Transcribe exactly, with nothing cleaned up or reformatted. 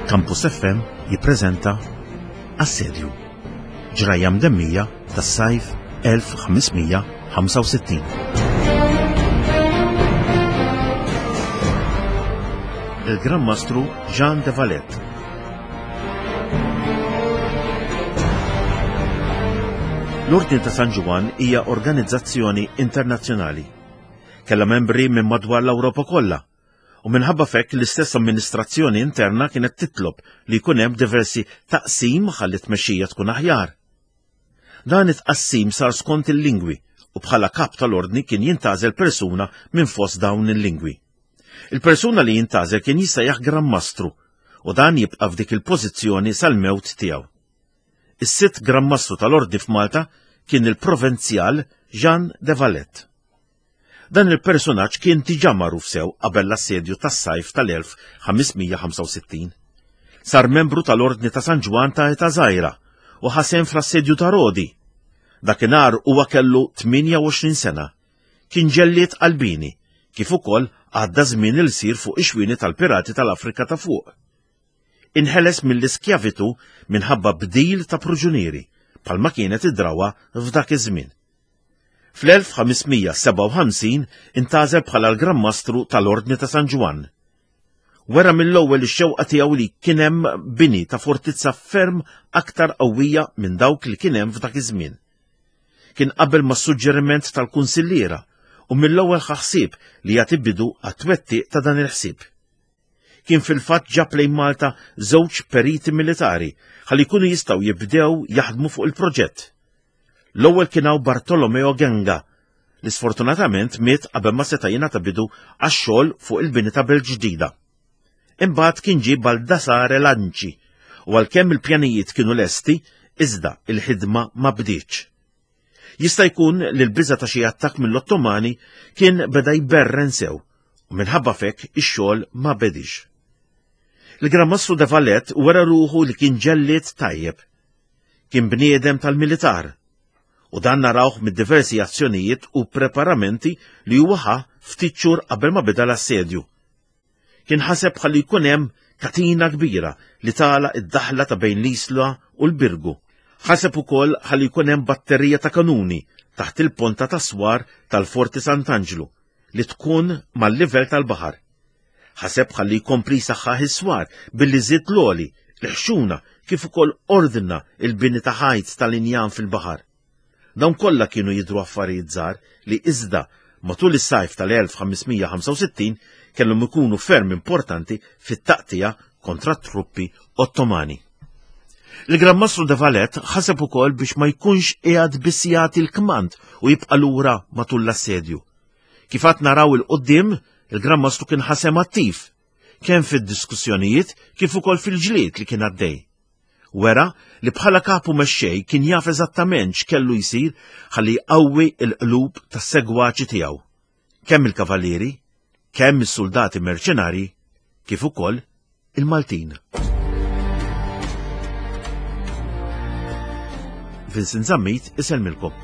Campus F M jippreżenta Assedju, ġrajja mdemmija tas-sajf elf ħames mija ħamsa u sittin. Il-Gran Mastru Jean de Valette. L-Ordni ta' San Ġwann hija organizzazzjoni internazzjonali. Kellha membri minn madwar l-Ewropa kollha, u minħabba fekk l-istess amministrazzjoni interna kienet titlob li jkun hemm diversi taqsim ħalli tmexxija tkun aħjar. Dan it-tqassim sar skont il-lingwi u bħala kap tal-ordni kien jintgħażel persuna minn fost dawn il-lingwi. Il-persuna li jintgħażel kien jissejjaħ Gran Mastru u dan jibqa' f'dik il-pożizzjoni sal-mewt tiegħu. Is-sitt Gran Mastru tal-Ordni f'Malta kien il-Provenzjal Jean de Valette. Dan il-personaġġ kien diġà magħruf sew qabel l-assedju tas-sajf tal-elf ħames mija ħamsa u sittin. Sar membru tal-Ordni ta' San Ġwann ta' età żgħira u ħasem fl-assedju ta' Rodi. Dakinhar huwa kellu tmienja u għoxrin sena. Kien ġellied qalbini, kif ukoll għadda żmien il-sir fuq ix-xwieni tal-pirati tal-Afrika ta' fuq. Inħeles mill-iskjavitu minħabba bdil ta' proġunieri, bħalma kienet id-drawa f'dak iż-żmien. Fl-elf ħames mija sebgħa u ħamsin intgħażel bħala l-Gran Mastru tal-Ordni ta' San Ġwann. Wera mill-ewwel ix-xewqa tiegħu li kien hemm bini ta' fortizza ferm aktar qawwija minn dawk li kien hemm f'dak iż-żmien. Kien qabel mas-suġġeriment tal-kunsilliera u mill-ewwel ħaħsieb li jagħti bidu għat-twettiq ta' dan il-ħsieb. Kien fil-fatt ġab lejn Malta żewġ periti militari ħalli jkunu jistgħu jibdew jaħdmu fuq il-proġett. L-ewwel kien hawn Bartolomeo Genga, li sfortunatament miet qabel ma seta' jingħata bidu għax-xogħol fuq il-bini ta' Belt Ġdida. Imbagħad kien ġie Baldassare Lanci u għalkemm il-pjanijiet kienu lesti, iżda il-ħidma ma bdietx. Jista' jkun li l-biża' ta' xi attakk mill-Ottomani kien beda jberren sew u minħabba fekk ix-xogħol ma bedix. Il-Gran Mastru de Valette wera ruħu li kien ġellied tajjeb. Kien bniedem tal-militar u dan narawh mid-diversi azzjonijiet u preparamenti li huwa ħa ftit xhur qabel ma beda l-assedju. Kien ħaseb ħalli jkun hemm katina kbira li tagħlaq id-daħla ta' bejn l-Isla u l-Birgu. Ħaseb ukoll ħalli jkun hemm batterija ta' kanuni taħt il-ponta ta' swar tal-Forti Sant'Anġlu li tkun mal-livell tal-baħar. Ħaseb ħalli jkompli jsaħħaħ is-swar billi żied l-għoli, l-ħxuna kif ukoll ordna il-bini ta' ħajt tal-injam fil-baħar. Dawn kollha kienu jidhru affarijiet żgħar li iżda matul is-sajf tal-elf ħames mija ħamsa u sittin kellhom ikunu ferm importanti fit-taqtija kontra t-truppi Ottomani. Il-Gran Mastru de Valette ħaseb ukoll biex ma jkunx qiegħed biss jagħti l-kmand u jibqa' lura matul l-assedju. Kif għad naraw il-qudiem, il-Gran Mastru kien ħasem attiv, kemm fid-diskussjonijiet kif ukoll fil-ġlied li kien għaddej. Wera li bħala kapu mexxej kien jaf eżattament x'kellu jsir ħalli jqawwi l-qlub tas-segwaċi tiegħu, kemm il-kavallieri, kemm is-soldati merċenari, kif ukoll il-Maltin. Vincent Zammit isellmilkom.